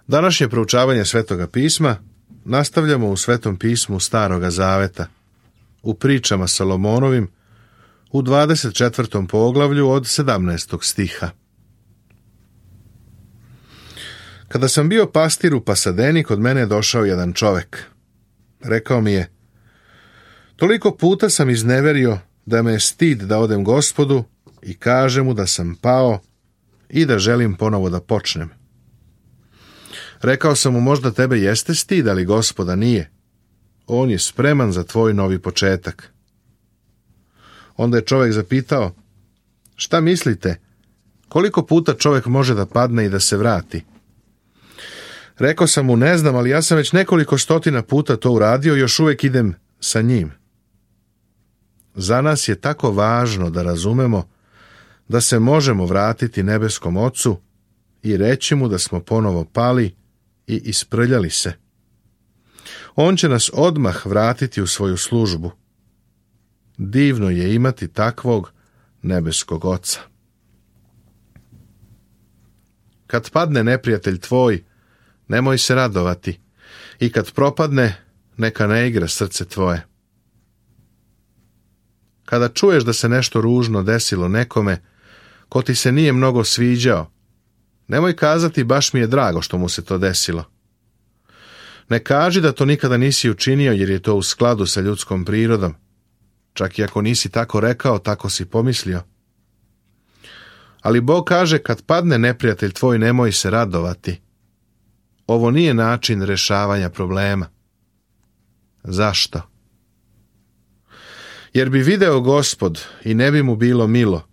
Današnje proučavanje Svetoga pisma nastavljamo u Svetom pismu Staroga zaveta, u pričama Salomonovim, u 24. poglavlju od 17. stiha. Kada sam bio pastir u Pasadeni, kod mene je došao jedan čovek. Rekao mi je: toliko puta sam izneverio da me je stid da odem Gospodu i kažem mu da sam pao i da želim ponovo da počnem. Rekao sam mu: možda tebe jeste stid, ali Gospoda nije. On je spreman za tvoj novi početak. Onda je čovjek zapitao: šta mislite, koliko puta čovjek može da padne i da se vrati? Rekao sam mu: ne znam, ali ja sam već nekoliko stotina puta to uradio i još uvijek idem sa njim. Za nas je tako važno da razumemo da se možemo vratiti nebeskom Ocu i reći mu da smo ponovo pali i isprljali se. On će nas odmah vratiti u svoju službu. Divno je imati takvog nebeskog Oca. Kad padne neprijatelj tvoj, nemoj se radovati, i kad propadne, neka ne igra srce tvoje. Kada čuješ da se nešto ružno desilo nekome ko ti se nije mnogo sviđao, nemoj kazati: baš mi je drago što mu se to desilo. Ne kaži da to nikada nisi učinio, jer je to u skladu sa ljudskom prirodom. Čak i ako nisi tako rekao, tako si pomislio. Ali Bog kaže: kad padne neprijatelj tvoj, nemoj se radovati. Ovo nije način rešavanja problema. Zašto? Jer bi video Gospod i ne bi mu bilo milo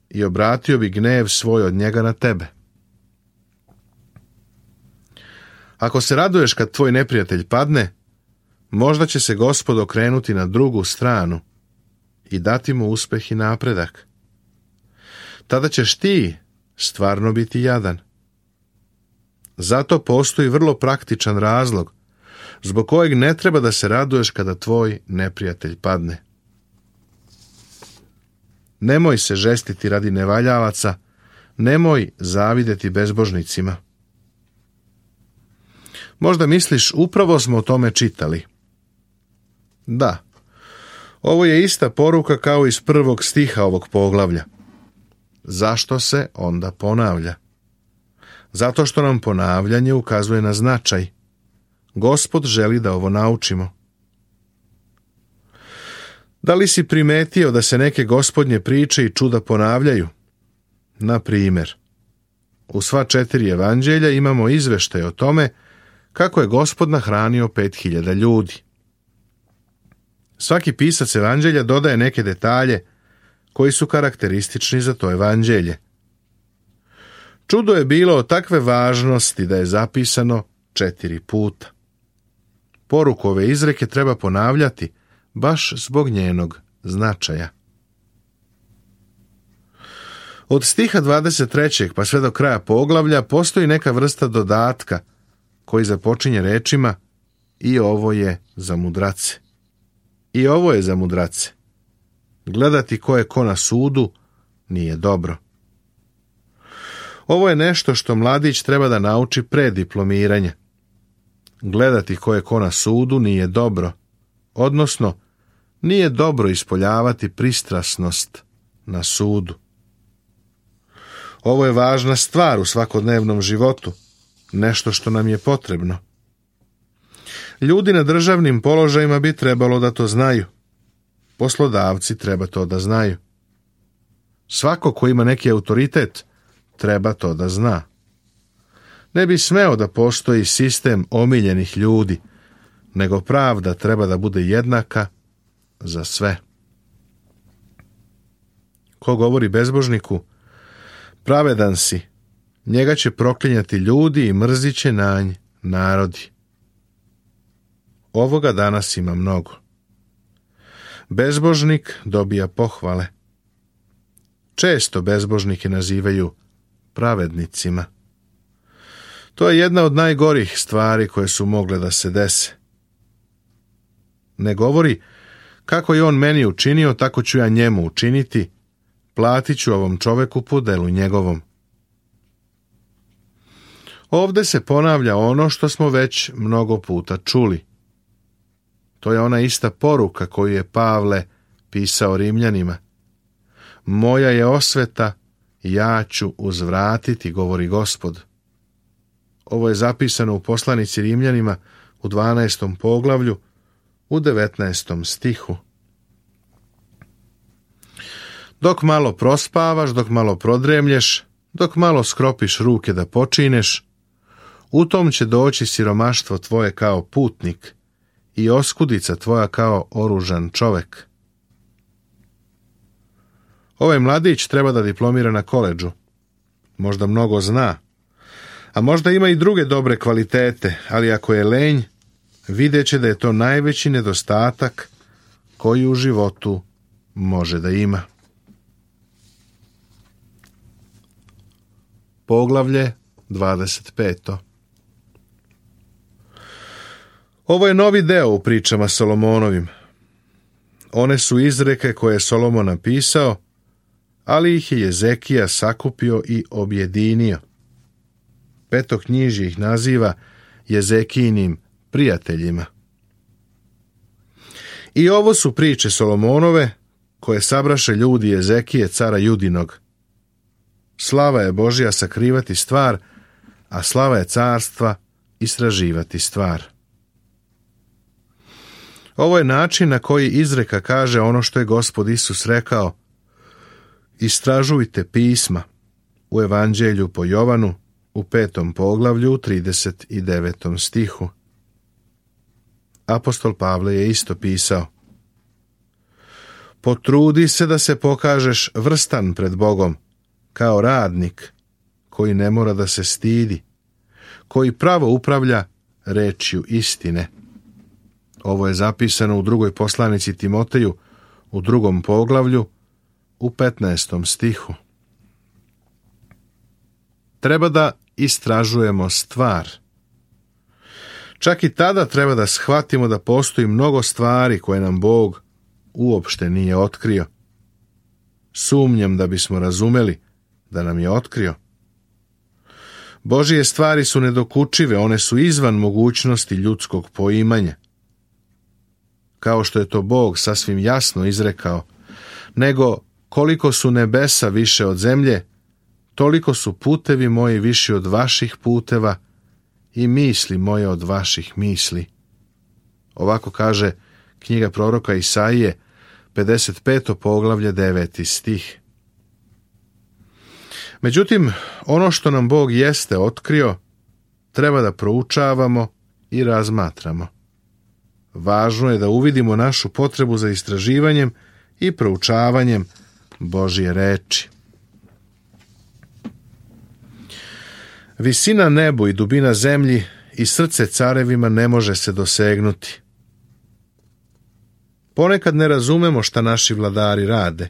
i obratio bi gnev svoj od njega na tebe. Ako se raduješ kad tvoj neprijatelj padne, možda će se Gospod okrenuti na drugu stranu i dati mu uspeh i napredak. Tada ćeš ti stvarno biti jadan. Zato postoji vrlo praktičan razlog zbog kojeg ne treba da se raduješ kada tvoj neprijatelj padne. Nemoj se žestiti radi nevaljavaca, nemoj zavideti bezbožnicima. Možda misliš: upravo smo o tome čitali. Da, ovo je ista poruka kao iz 1. stiha ovog poglavlja. Zašto se onda ponavlja? Zato što nam ponavljanje ukazuje na značaj. Gospod želi da ovo naučimo. Da li si primetio da se neke gospodnje priče i čuda ponavljaju? Na primjer, u sva 4 evanđelja imamo izveštaj o tome kako je Gospod nahranio 5.000 ljudi. Svaki pisac evanđelja dodaje neke detalje koji su karakteristični za to evanđelje. Čudo je bilo od takve važnosti da je zapisano 4 puta. Poruku ove izreke treba ponavljati baš zbog njenog značaja. Od stiha 23. pa sve do kraja poglavlja postoji neka vrsta dodatka koji započinje rečima: i ovo je za mudrace. I ovo je za mudrace. Gledati ko je ko na sudu nije dobro. Ovo je nešto što mladić treba da nauči pre diplomiranja. Gledati ko je ko na sudu nije dobro, odnosno nije dobro ispoljavati pristrasnost na sudu. Ovo je važna stvar u svakodnevnom životu, nešto što nam je potrebno. Ljudi na državnim položajima bi trebalo da to znaju. Poslodavci treba to da znaju. Svako ko ima neki autoritet treba to da zna. Ne bi smeo da postoji sistem omiljenih ljudi, nego pravda treba da bude jednaka za sve. Ko govori bezbožniku: pravedan si, njega će proklinjati ljudi i mrzit će na nj narodi. Ovoga danas ima mnogo. Bezbožnik dobija pohvale. Često bezbožnike nazivaju pravednicima. To je jedna od najgorih stvari koje su mogle da se dese. Ne govori: kako je on meni učinio, tako ću ja njemu učiniti, platit ću ovom čoveku po delu njegovom. Ovdje se ponavlja ono što smo već mnogo puta čuli. To je ona ista poruka koju je Pavle pisao Rimljanima. Moja je osveta, ja ću uzvratiti, govori Gospod. Ovo je zapisano u poslanici Rimljanima u 12. poglavlju, u 19. stihu. Dok malo prospavaš, dok malo prodremlješ, dok malo skropiš ruke da počineš, u tom će doći siromaštvo tvoje kao putnik i oskudica tvoja kao oružan čovek. Ovaj mladić treba da diplomira na koledžu. Možda mnogo zna, a možda ima i druge dobre kvalitete, ali ako je lenj, vidjet će da je to najveći nedostatak koji u životu može da ima. Poglavlje 25. Ovo je novi deo u pričama Solomonovim. One su izreke koje je Solomon napisao, ali ih je Jezekija sakupio i objedinio. Petoknjižje ih naziva Jezekijinim prijateljima. I ovo su priče Solomonove koje sabraše ljudi Jezekije, cara Judinog. Slava je Božja sakrivati stvar, a slava je carstva istraživati stvar. Ovo je način na koji izreka kaže ono što je Gospod Isus rekao: istražujte pisma, u Evanđelju po Jovanu, u 5. poglavlju, 39. stihu. Apostol Pavle je isto pisao: potrudi se da se pokažeš vrstan pred Bogom, kao radnik koji ne mora da se stidi, koji pravo upravlja rečju istine. Ovo je zapisano u drugoj poslanici Timoteju, u 2. poglavlju, u 15. stihu. Treba da istražujemo stvar. Čak i tada treba da shvatimo da postoji mnogo stvari koje nam Bog uopšte nije otkrio. Sumnjam da bismo razumeli da nam je otkrio. Božije stvari su nedokučive, one su izvan mogućnosti ljudskog poimanja. Kao što je to Bog sasvim jasno izrekao, nego koliko su nebesa više od zemlje, toliko su putevi moji viši od vaših puteva i misli moje od vaših misli. Ovako kaže knjiga proroka Isaije, 55. poglavlje, 9. stih. Međutim, ono što nam Bog jeste otkrio, treba da proučavamo i razmatramo. Važno je da uvidimo našu potrebu za istraživanjem i proučavanjem Božje reči. Visina nebu i dubina zemlji i srce carevima ne može se dosegnuti. Ponekad ne razumemo šta naši vladari rade.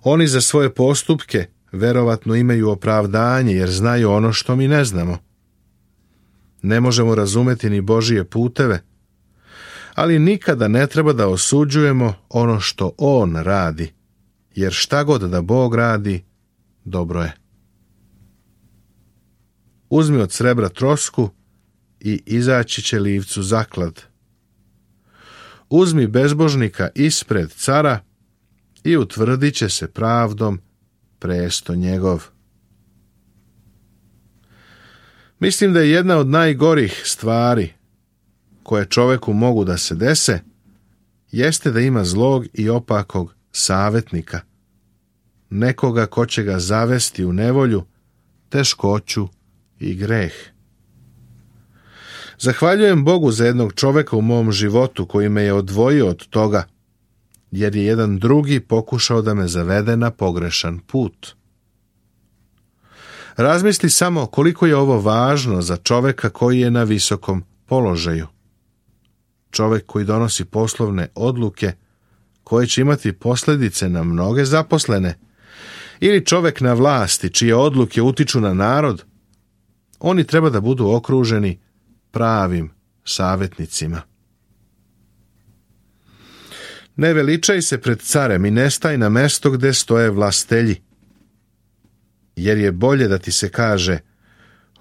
Oni za svoje postupke verovatno imaju opravdanje jer znaju ono što mi ne znamo. Ne možemo razumeti ni Božije puteve, ali nikada ne treba da osuđujemo ono što On radi, jer šta god da Bog radi, dobro je. Uzmi od srebra trosku i izaći će livcu zaklad. Uzmi bezbožnika ispred cara i utvrdit će se pravdom presto njegov. Mislim da je jedna od najgorih stvari koje čoveku mogu da se dese, jeste da ima zlog i opakog savjetnika, nekoga ko će ga zavesti u nevolju, teškoću i greh. Zahvaljujem Bogu za jednog čoveka u mom životu koji me je odvojio od toga, jer je jedan drugi pokušao da me zavede na pogrešan put. Razmisli samo koliko je ovo važno za čoveka koji je na visokom položaju. Čovek koji donosi poslovne odluke koje će imati posljedice na mnoge zaposlene, ili čovek na vlasti čije odluke utiču na narod, oni treba da budu okruženi pravim savjetnicima. Ne veličaj se pred carem i ne staj na mesto gde stoje vlastelji, jer je bolje da ti se kaže: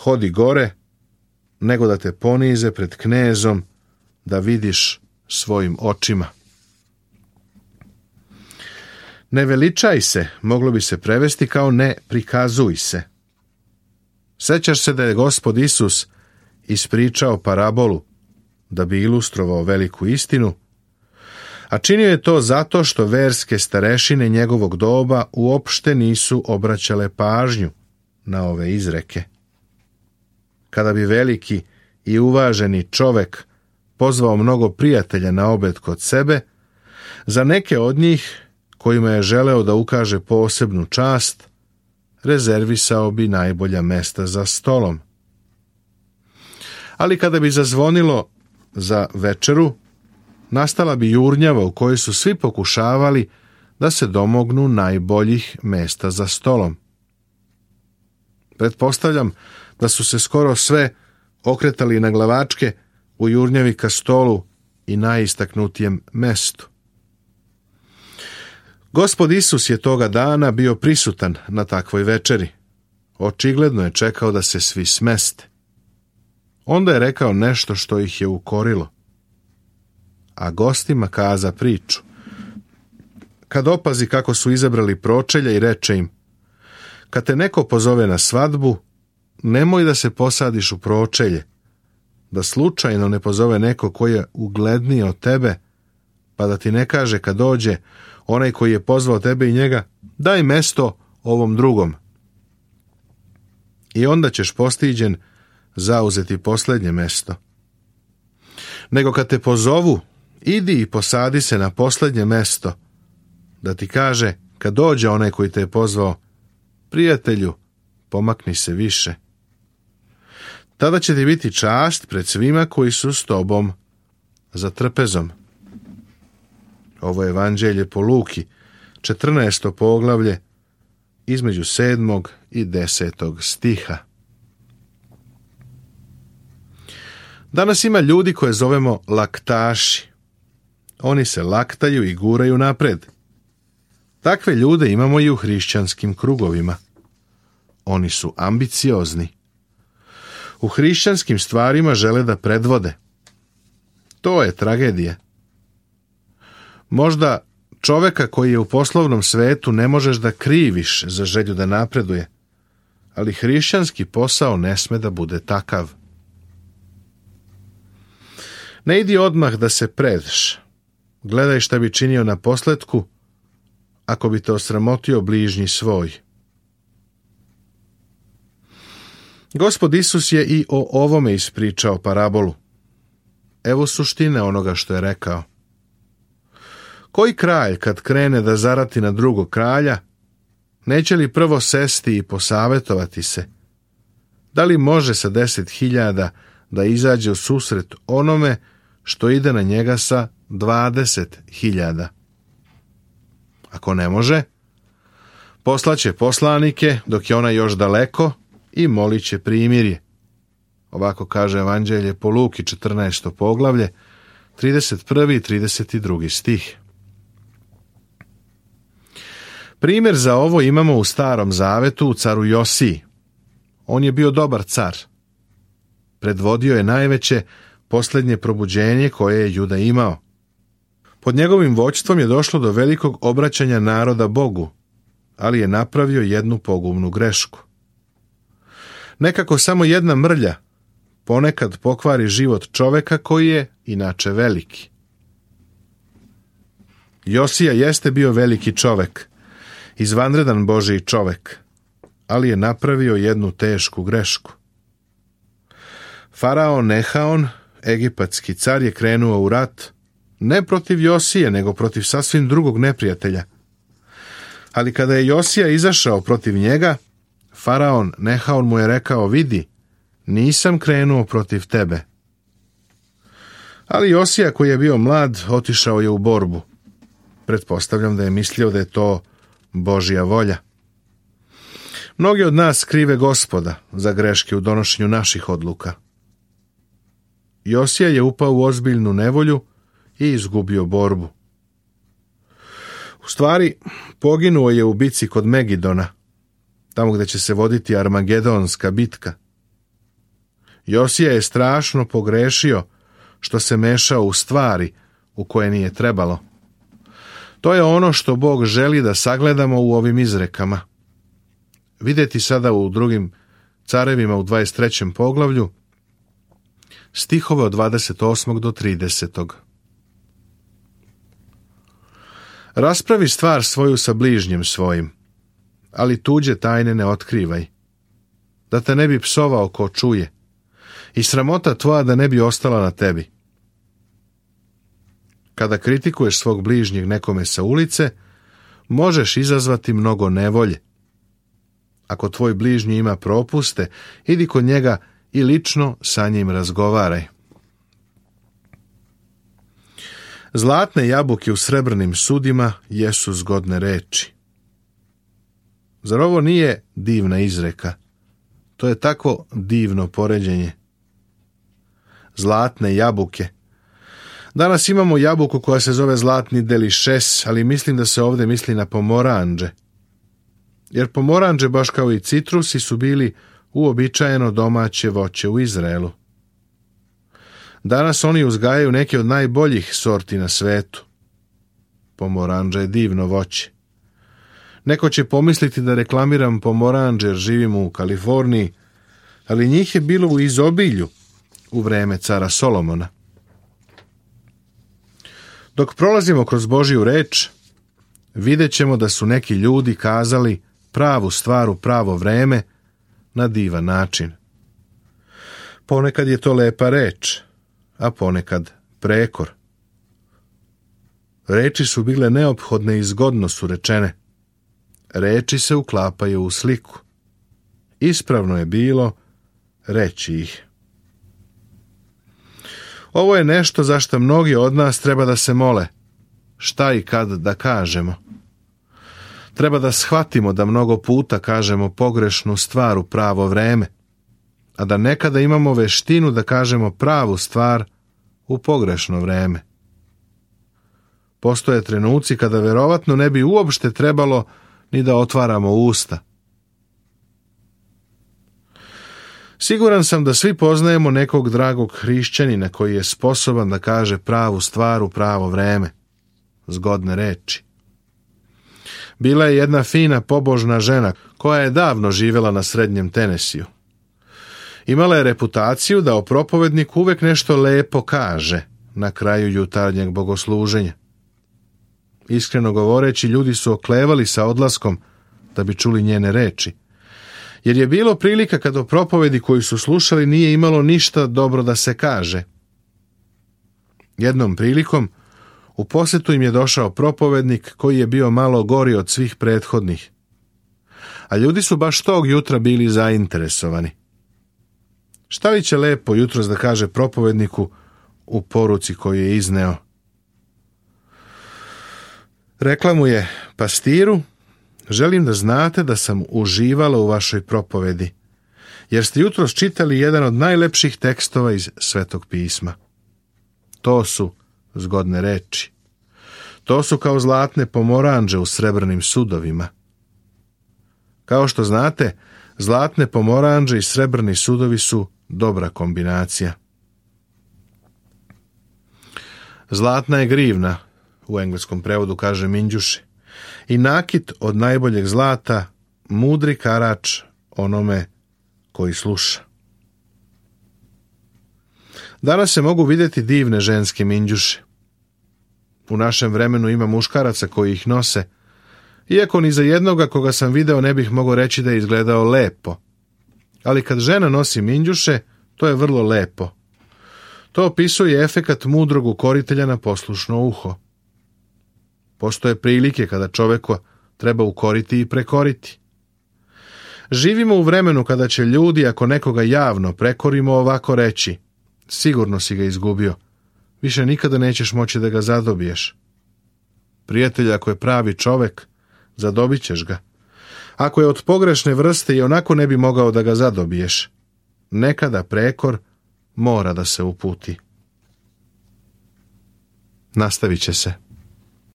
hodi gore, nego da te ponize pred knezom, da vidiš svojim očima. Ne veličaj se, moglo bi se prevesti kao ne prikazuj se. Sećaš se da je Gospod Isus ispričao parabolu da bi ilustrovao veliku istinu, a činio je to zato što verske starešine njegovog doba uopšte nisu obraćale pažnju na ove izreke. Kada bi veliki i uvaženi čovek pozvao mnogo prijatelja na obed kod sebe, za neke od njih, kojima je želeo da ukaže posebnu čast, rezervisao bi najbolja mesta za stolom. Ali kada bi zazvonilo za večeru, nastala bi jurnjava u kojoj su svi pokušavali da se domognu najboljih mesta za stolom. Pretpostavljam da su se skoro sve okretali na glavačke u jurnjavi ka stolu i najistaknutijem mestu. Gospod Isus je toga dana bio prisutan na takvoj večeri. Očigledno je čekao da se svi smeste. Onda je rekao nešto što ih je ukorilo. A gostima kaza priču. Kad opazi kako su izabrali pročelja i reče im: kad te neko pozove na svadbu, nemoj da se posadiš u pročelje, da slučajno ne pozove neko koji je ugledniji od tebe, pa da ti ne kaže kad dođe onaj koji je pozvao tebe i njega: daj mesto ovom drugom. I onda ćeš postiđen zauzeti posljednje mesto. Nego kad te pozovu, idi i posadi se na posljednje mesto, da ti kaže kad dođe onaj koji te je pozvao: prijatelju, pomakni se više. Tada će ti biti čast pred svima koji su s tobom za trpezom. Ovo je Evanđelje po Luki, 14. poglavlje, između 7. i 10. stiha. Danas ima ljudi koje zovemo laktaši. Oni se laktaju i guraju napred. Takve ljude imamo i u hrišćanskim krugovima. Oni su ambiciozni. U hrišćanskim stvarima žele da predvode. To je tragedija. Možda čoveka koji je u poslovnom svetu ne možeš da kriviš za želju da napreduje, ali hrišćanski posao ne sme da bude takav. Ne idi odmah da se predš. Gledaj šta bi činio na posletku ako bi te osramotio bližnji svoj. Gospod Isus je i o ovome ispričao parabolu. Evo suštine onoga što je rekao. Koji kralj kad krene da zarati na drugog kralja, neće li prvo sesti i posavetovati se? Da li može sa 10.000 da izađe u susret onome što ide na njega sa 20.000? Ako ne može, poslaće poslanike dok je ona još daleko i molit će primirje. Ovako kaže Evanđelje po Luki, 14. poglavlje, 31. i 32. stih. Primjer za ovo imamo u Starom zavetu u caru Josiji. On je bio dobar car. Predvodio je najveće posljednje probuđenje koje je Juda imao. Pod njegovim vođstvom je došlo do velikog obraćanja naroda Bogu, ali je napravio jednu pogubnu grešku. Nekako samo jedna mrlja ponekad pokvari život čoveka koji je inače veliki. Josija jeste bio veliki čovek, izvanredan Božji čovek, ali je napravio jednu tešku grešku. Faraon Nehaon, egipatski car, je krenuo u rat ne protiv Josije, nego protiv sasvim drugog neprijatelja. Ali kada je Josija izašao protiv njega, Faraon Nehaon mu je rekao: vidi, nisam krenuo protiv tebe. Ali Josija, koji je bio mlad, otišao je u borbu. Pretpostavljam da je mislio da je to Božja volja. Mnogi od nas krive Gospoda za greške u donošenju naših odluka. Josija je upao u ozbiljnu nevolju i izgubio borbu. U stvari, poginuo je u bici kod Megidona, tamo gdje će se voditi Armagedonska bitka. Josija je strašno pogrešio što se mešao u stvari u koje nije trebalo. To je ono što Bog želi da sagledamo u ovim izrekama. Vidjeti sada u drugim carevima u 23. poglavlju, stihove od 28. do 30. Raspravi stvar svoju sa bližnjem svojim, ali tuđe tajne ne otkrivaj, da te ne bi psovao ko čuje, i sramota tvoja da ne bi ostala na tebi. Kada kritikuješ svog bližnjeg nekome sa ulice, možeš izazvati mnogo nevolje. Ako tvoj bližnji ima propuste, idi kod njega i lično sa njim razgovaraj. Zlatne jabuke u srebrnim sudima jesu zgodne reči. Zar ovo nije divna izreka? To je takvo divno poređenje. Zlatne jabuke. Danas imamo jabuku koja se zove zlatni delišes, ali mislim da se ovdje misli na pomoranđe. Jer pomoranđe, baš kao i citrusi, su bili uobičajeno domaće voće u Izraelu. Danas oni uzgajaju neke od najboljih sorti na svetu. Pomoranđa je divno voće. Neko će pomisliti da reklamiram pomoranđe jer živim u Kaliforniji, ali njih je bilo u izobilju u vreme cara Solomona. Dok prolazimo kroz Božju reč, vidjet ćemo da su neki ljudi kazali pravu stvar u pravo vreme na divan način. Ponekad je to lepa reč, a ponekad prekor. Reči su bile neophodne i zgodno su rečene. Reči se uklapaju u sliku. Ispravno je bilo reći ih. Ovo je nešto za što mnogi od nas treba da se mole. Šta i kad da kažemo? Treba da shvatimo da mnogo puta kažemo pogrešnu stvar u pravo vreme, a da nekada imamo veštinu da kažemo pravu stvar u pogrešno vreme. Postoje trenuci kada verovatno ne bi uopšte trebalo ni da otvaramo usta. Siguran sam da svi poznajemo nekog dragog hrišćanina koji je sposoban da kaže pravu stvar u pravo vreme. Zgodne reči. Bila je jedna fina pobožna žena koja je davno živjela na srednjem Tenesiju. Imala je reputaciju da o propovedniku uvek nešto lepo kaže na kraju jutarnjeg bogosluženja. Iskreno govoreći, ljudi su oklevali sa odlaskom da bi čuli njene reči, jer je bilo prilika kad o propovedi koju su slušali nije imalo ništa dobro da se kaže. Jednom prilikom u posjetu im je došao propovednik koji je bio malo gori od svih prethodnih, a ljudi su baš tog jutra bili zainteresovani. Šta li će lepo jutros da kaže propovedniku u poruci koju je izneo? Rekla mu je: pastiru, želim da znate da sam uživala u vašoj propovedi, jer ste jutros čitali jedan od najlepših tekstova iz Svetog pisma. To su zgodne reči. To su kao zlatne pomoranđe u srebrnim sudovima. Kao što znate, zlatne pomoranđe i srebrni sudovi su dobra kombinacija. Zlatna je grivna, u engleskom prevodu kaže minđuše, i nakit od najboljeg zlata, mudri karač onome koji sluša. Danas se mogu vidjeti divne ženske minđuše. U našem vremenu ima muškaraca koji ih nose, iako ni za jednoga koga sam video ne bih mogao reći da je izgledao lepo. Ali kad žena nosi minđuše, to je vrlo lepo. To opisuje efekat mudrog ukoritelja na poslušno uho. Postoje prilike kada čoveku treba ukoriti i prekoriti. Živimo u vremenu kada će ljudi, ako nekoga javno prekorimo, ovako reći: sigurno si ga izgubio, više nikada nećeš moći da ga zadobiješ. Prijatelj, ako je pravi čovek, zadobit ćeš ga. Ako je od pogrešne vrste, i onako ne bi mogao da ga zadobiješ. Nekada prekor mora da se uputi. Nastavit će se.